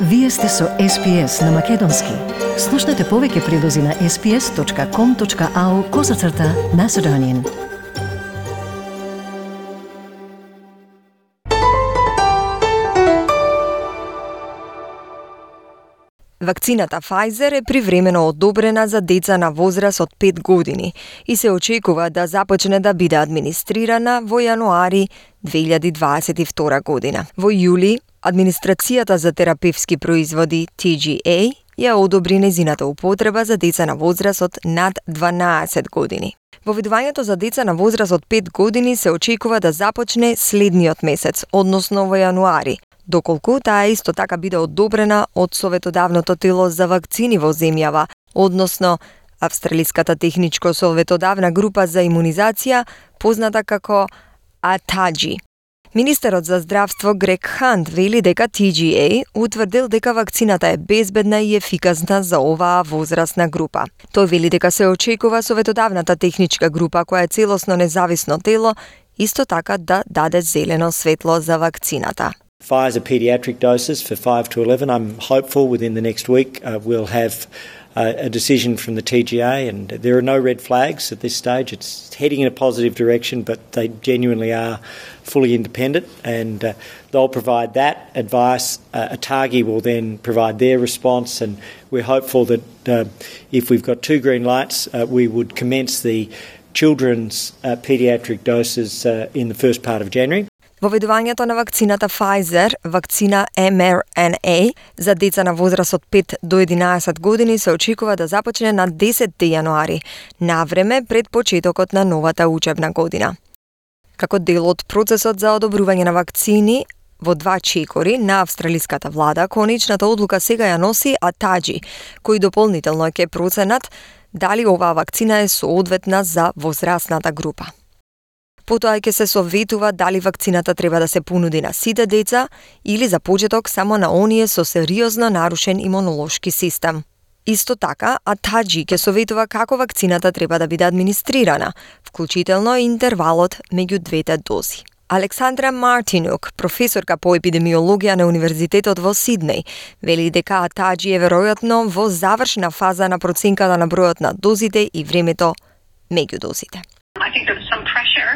Вие сте со SPS на Македонски. Слушнете повеќе прилози на sps.com.au/Macedonian. Вакцината Pfizer е привремено одобрена за деца на возраст од 5 години и се очекува да започне да биде администрирана во јануари 2022 година. Во јули, Администрацијата за терапевски производи TGA ја одобри незината употреба за деца на возраст од над 12 години. Воведувањето за деца на возраст од 5 години се очекува да започне следниот месец, односно во јануари, доколку таа исто така биде одобрена од Советодавното тело за вакцини во земјава, односно Австралиската техничко-советодавна група за имунизација, позната како ATAGI. Министерот за здравство Грег Хант вели дека TGA утврдил дека вакцината е безбедна и ефикасна за оваа возрастна група. Тој вели дека се очекува Советодавната техничка група, која е целосно независно тело, исто така да даде зелено светло за вакцината. Pfizer pediatric doses for 5 to 11. I'm hopeful within the next week we'll have a decision from the TGA, and there are no red flags at this stage. It's heading in a positive direction, but they genuinely are fully independent, and they'll provide that advice. ATAGI will then provide their response, and we're hopeful that if we've got 2 green lights, we would commence the children's pediatric doses in the first part of January. Воведувањето на вакцината Pfizer, вакцина mRNA, за деца на возраст од 5 до 11 години се очекува да започне на 10 јануари, навреме пред почетокот на новата учебна година. Како дел од процесот за одобрување на вакцини во 2 чекори на австралиската влада, конечната одлука сега ја носи ATAGI, кој дополнително ќе проценат дали оваа вакцина е соодветна за возрастната група. Потоа ќе се советува дали вакцината треба да се понуди на сите деца или за почеток само на оние со сериозно нарушен имунолошки систем. Исто така, ATAGI ќе советува како вакцината треба да биде администрирана, вклучително и интервалот меѓу двете дози. Александра Мартинук, професорка по епидемиологија на Универзитетот во Сиднеј, вели дека ATAGI е веројатно во завршна фаза на проценката на бројот на дозите и времето меѓу дозите. I think there was some pressure,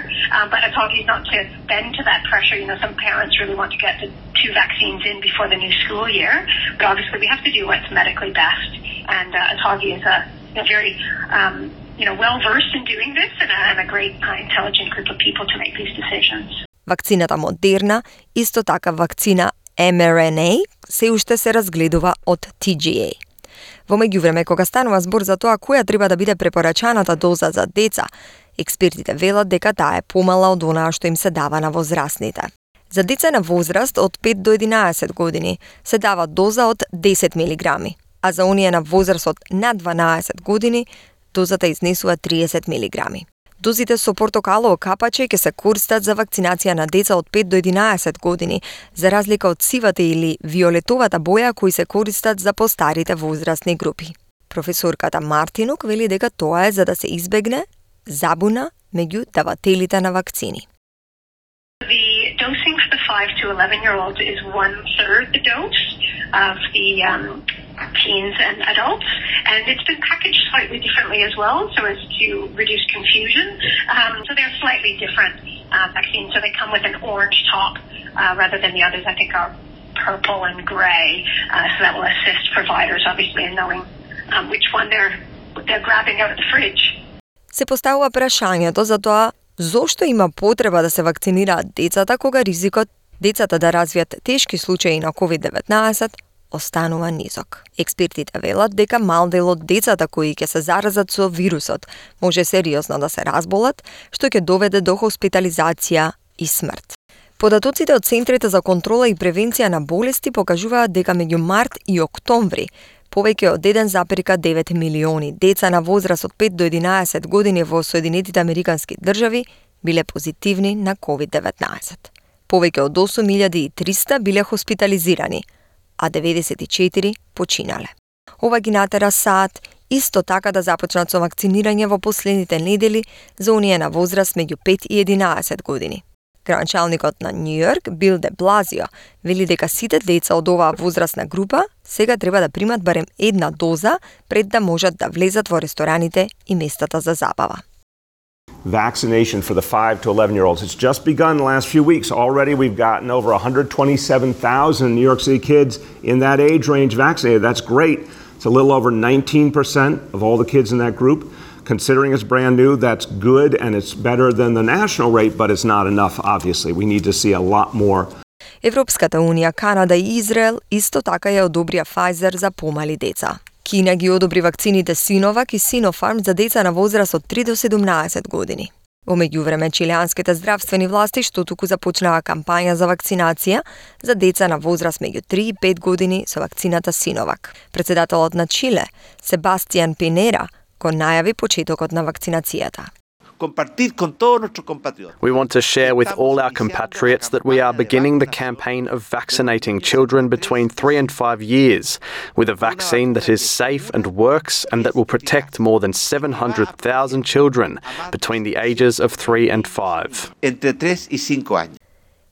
but ATAGI is not to bend to that pressure. You know, some parents really want to get the 2 vaccines in before the new school year, but obviously we have to do what's medically best. And ATAGI is a very, well-versed in doing this and a great, intelligent group of people to make these decisions. Вакцината Модерна, исто така вакцина mRNA, се уште се разгледува од TGA. Во меѓувреме, кога станува збор за тоа која треба да биде препорачаната доза за деца, експертите велат дека таа е помала од онаа што им се дава на возрастните. За деца на возраст од 5 до 11 години се дава доза од 10 мг, а за оние на возраст од над 12 години дозата изнесува 30 мг. Дозите со портокалово капаче ќе се користат за вакцинација на деца од 5 до 11 години, за разлика од сивата или виолетовата боја кои се користат за постарите возрастни групи. Професорката Мартинук вели дека тоа е за да се избегне забуна меѓу давателите на вакцини. The dosing for the 5 to 11-year-olds is 1/3 the dose of the teens and adults, and it's been packaged slightly differently as well, so as to reduce confusion. So they're slightly different vaccines. So they come with an orange top rather than the others. I think are purple and grey. So that will assist providers, obviously, in knowing which one they're grabbing out of the fridge. Се поставува прашањето за тоа зошто има потреба да се вакцинираат децата кога ризикот децата да развијат тешки случаи на COVID-19 останува низок. Експертите велат дека мал дел од децата кои ќе се заразат со вирусот може сериозно да се разболат, што ќе доведе до хоспитализација и смрт. Податоците од Центрите за контрола и превенција на болести покажуваат дека меѓу март и октомври повеќе од 1,9 милиони деца на возраст од 5 до 11 години во Соединетите Американски држави биле позитивни на COVID-19. Повеќе од 8300 биле хоспитализирани, а 94 починале. Ова ги натера САД исто така да започнат со вакцинирање во последните недели за оние на возраст меѓу 5 и 11 години. Градоначалникот на Нью Йорк, Бил де Блазио, вели дека сите деца од оваа возрастна група сега треба да примат барем една доза пред да можат да влезат во рестораните и местата за забава. Vaccination for the 5 to 11-year-olds. It's just begun the last few weeks. Already we've gotten over 127,000 New York City kids in that age range vaccinated. That's great. It's a little over 19% of all the kids in that group. Considering it's brand new, that's good and it's better than the national rate, but it's not enough, obviously. We need to see a lot more. Европската унија, Канада и Израел исто така ја одобрија Pfizer за помали деца. Кина ги одобри вакцините Sinovac и Sinopharm за деца на возраст од 3 до 17 години. Во меѓувреме, чилијанските здравствени власти што туку започнаа кампања за вакцинација за деца на возраст меѓу 3 и 5 години со вакцината Sinovac. Председателот на Чиле, Себастијан Пинера, го најави почетокот на вакцинацијата. We want to share with all our compatriots that we are beginning the campaign of vaccinating children between 3 and 5 years with a vaccine that is safe and works and that will protect more than 700,000 children between the ages of 3 and 5.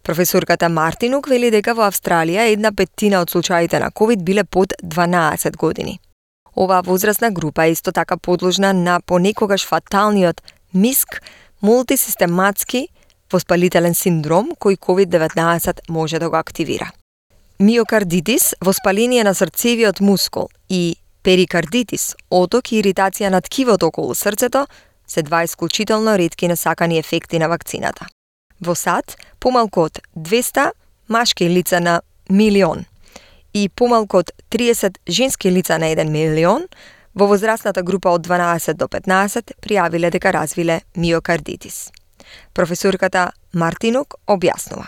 Професорката Мартинук вели дека во Австралија 1/5 од случаите на COVID биле под 12 години. Оваа возрастна група е исто така подложна на понекогаш фаталниот МИСК, мултисистематски воспалителен синдром кој COVID-19 може да го активира. Миокардитис, воспаление на срцевиот мускул и перикардитис, оток и иритација на ткивото околу срцето се два исклучително ретки несакани ефекти на вакцината. Во САД, помалку од 200 машки лица на милион и помалку од 30 женски лица на 1 милион во возрастната група од 12 до 15 пријавиле дека развиле миокардитис. Професорката Мартинук објаснува.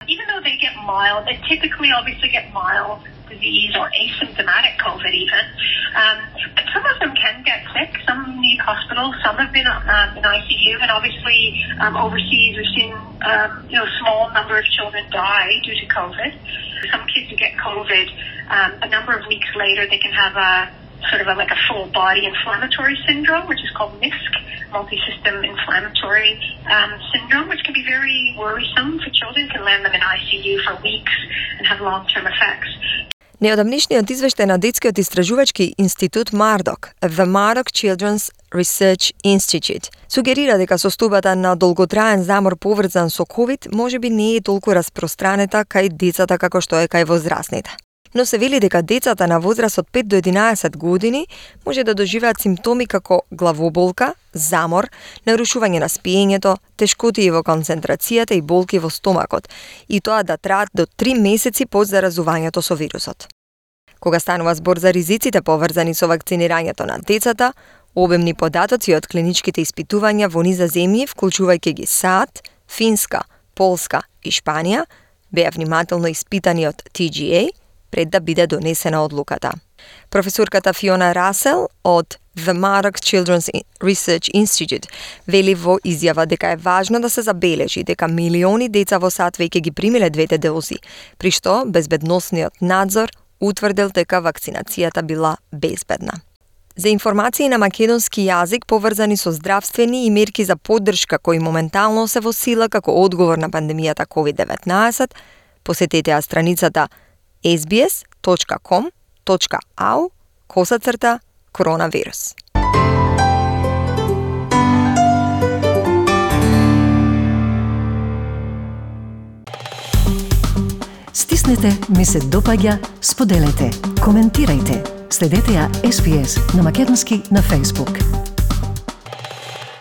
Even though they get mild, they typically obviously get mild disease or asymptomatic COVID even. But some of them can get sick. Some need hospital. Some have been in ICU, and obviously overseas we've seen a small number of children die due to COVID. Some kids who get COVID, a number of weeks later they can have a sort of like a full body inflammatory syndrome, which is called MISC, multi-system inflammatory syndrome, which can be very worrisome for children, can land them in ICU for weeks and have long-term effects. Неодамнишниот извештај на детскиот истражувачки институт Мардок, The Murdoch Children's Research Institute, сугерира дека состојбата на долготраен замор поврзан со COVID можеби не е толку распространета кај децата како што е кај возрастните. Но се вели дека децата на возраст од 5 до 11 години може да доживеат симптоми како главоболка, замор, нарушување на спиењето, тешкотии во концентрацијата и болки во стомакот, и тоа да траат до 3 месеци по заразувањето со вирусот. Кога станува збор за ризиците поврзани со вакцинирањето на децата, обемни податоци од клиничките испитувања во низа земји, вклучувајќи ги САД, Финска, Полска и Шпанија, беа внимателно испитани од TGA, пред да биде донесена одлуката. Професорката Фиона Расел од The Murdoch Children's Research Institute вели во изјава дека е важно да се забележи дека милиони деца во САД веќе ги примиле двете дози, при што безбедносниот надзор утврдил дека вакцинацијата била безбедна. За информации на македонски јазик поврзани со здравствени и мерки за поддршка кои моментално се во сила како одговор на пандемијата COVID-19, посетете ја страницата sbs.com.au/коронавирус. Стиснете, ми се допаѓа, споделете, коментирајте. Следете ја SBS на македонски на Facebook.